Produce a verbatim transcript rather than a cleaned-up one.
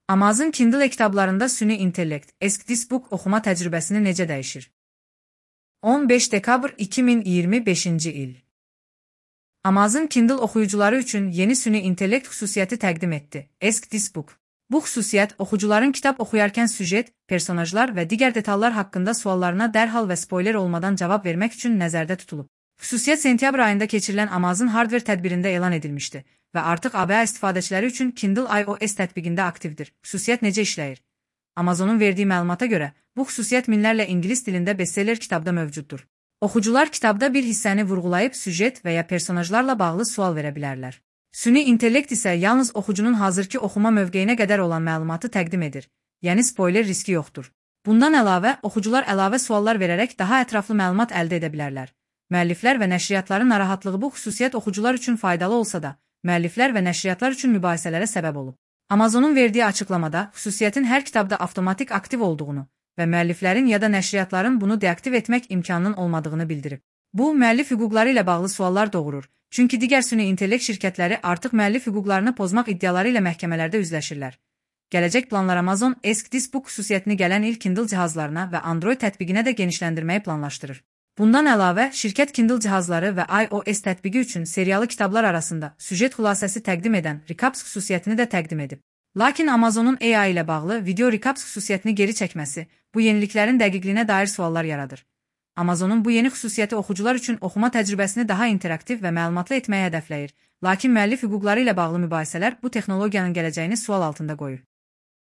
Amazon Kindle kitablarında süni intellekt, EskDiscBook oxuma təcrübəsini necə dəyişir? on beş dekabr iki min iyirmi beşinci il. Amazon Kindle oxuyucuları üçün yeni süni intellekt xüsusiyyəti təqdim etdi. EskDiscBook. Bu xüsusiyyət oxucuların kitab oxuyarkən süjet, personajlar və digər detallar haqqında suallarına dərhal və spoiler olmadan cavab vermək üçün nəzərdə tutulub. Xüsusiyyət sentyabr ayında keçirilən Amazon Hardware tədbirində elan edilmişdi və artıq A B A istifadəçiləri üçün Kindle iOS tətbiqində aktivdir. Xüsusiyyət necə işləyir? Amazonun verdiği məlumata görə, bu xüsusiyyət minlərlə ingilis dilində bestseller kitabda mövcuddur. Oxucular kitabda bir hissəni vurğulayıb süjet və ya personajlarla bağlı sual verə bilərlər. Süni intellekt isə yalnız oxucunun hazırki oxuma mövqeyinə qədər olan məlumatı təqdim edir, yəni spoiler riski yoxdur. Bundan əlavə, oxucular əlavə suallar verərək daha ətraflı məlumat əldə edə bilərlər. Müəlliflər və nəşriyyatların narahatlığı bu xüsusiyyət oxucular üçün faydalı olsa da, müəlliflər və nəşriyyatlar üçün mübahisələrə səbəb olub. Amazonun verdiyi açıqlamada xüsusiyyətin hər kitabda avtomatik aktiv olduğunu və müəlliflərin ya da nəşriyyatların bunu deaktiv etmək imkanının olmadığını bildirib. Bu, müəllif hüquqları ilə bağlı suallar doğurur, çünki digər süni intellekt şirkətləri artıq müəllif hüquqlarını pozmaq iddiaları ilə məhkəmələrdə üzləşirlər. Gələcək planlar Amazon EskDiscBook xüsusiyyətini gələn il Kindle cihazlarına və Android tətbiqinə də genişləndirməyi planlaşdırır. Bundan əlavə, şirkət Kindle cihazları və iOS tətbiqi üçün seriyalı kitablar arasında süjet xülasəsi təqdim edən Recaps xüsusiyyətini də təqdim edib. Lakin Amazonun A I ilə bağlı video Recaps xüsusiyyətini geri çəkməsi bu yeniliklərin dəqiqliyinə dair suallar yaradır. Amazonun bu yeni xüsusiyyəti oxucular üçün oxuma təcrübəsini daha interaktiv və məlumatlı etməyi hədəfləyir, lakin müəllif hüquqları ilə bağlı mübahisələr bu texnologiyanın gələcəyini sual altında qoyur.